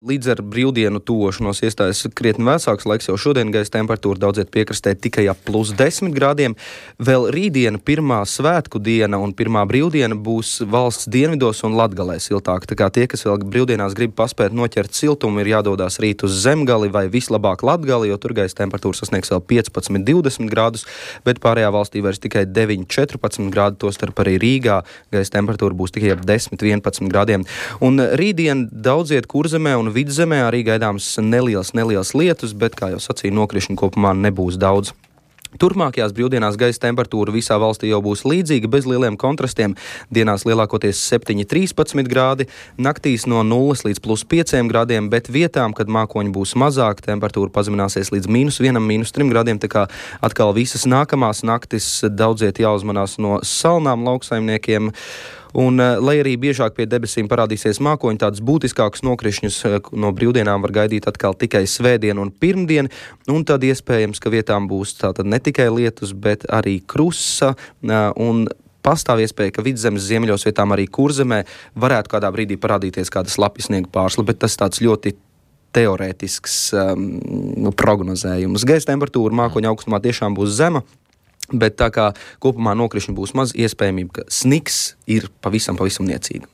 Līdz ar brīvdienu tuvošanos iestājas krietni vēsāks laiks, jau šodien gaisa temperatūra daudziet piekrastē tikai ap +10 grādiem. Vēl rītdiena, pirmā svētku diena un pirmā brīvdiena būs valsts dienvidos un Latgalē siltāk. Tā kā tie, kas vēl brīvdienās grib paspēt noķert siltumu, ir jādodas rīt uz Zemgali vai vislabāk Latgali, jo tur gaisa temperatūra sasniegs vēl 15-20 grādus, bet pārējā valstī vairs tikai 9-14 grādi, tostarp arī Rīgā gaisa temperatūra būs tikai ap 10-11 grādiem. Un rītdien daudziet Kurzemē un Vidzemē arī gaidāms neliels lietus, bet, kā jau sacīju, nokrišņu kopumā nebūs daudz. Turpmākajās brīvdienās gaisa temperatūra visā valstī jau būs līdzīga, bez lieliem kontrastiem. Dienās lielākoties 7-13 grādi, naktīs no 0 līdz +5 grādiem, bet vietām, kad mākoņi būs mazāk, temperatūra pazemināsies līdz -1, -3 grādiem. Tā kā atkal visas nākamās naktis daudziet jāuzmanās no salnām lauksaimniekiem. Un, lai arī biežāk pie debesīm parādīsies mākoņi, tādus būtiskākus nokrišņus no brīvdienām var gaidīt atkal tikai svētdien un pirmdien, un tad iespējams, ka vietām būs tātad ne tikai lietus, bet arī krusa, un pastāv iespēja, ka Vidzemes ziemeļos vietām arī Kurzemē varētu kādā brīdī parādīties kāda slapjasniega pārsla, bet tas tāds ļoti teorētisks prognozējums. Gaisa temperatūra mākoņa augstumā tiešām būs zema, bet tā kā kopumā nokrišņi būs maz, iespējamība, ka sniks ir pavisam niecīga.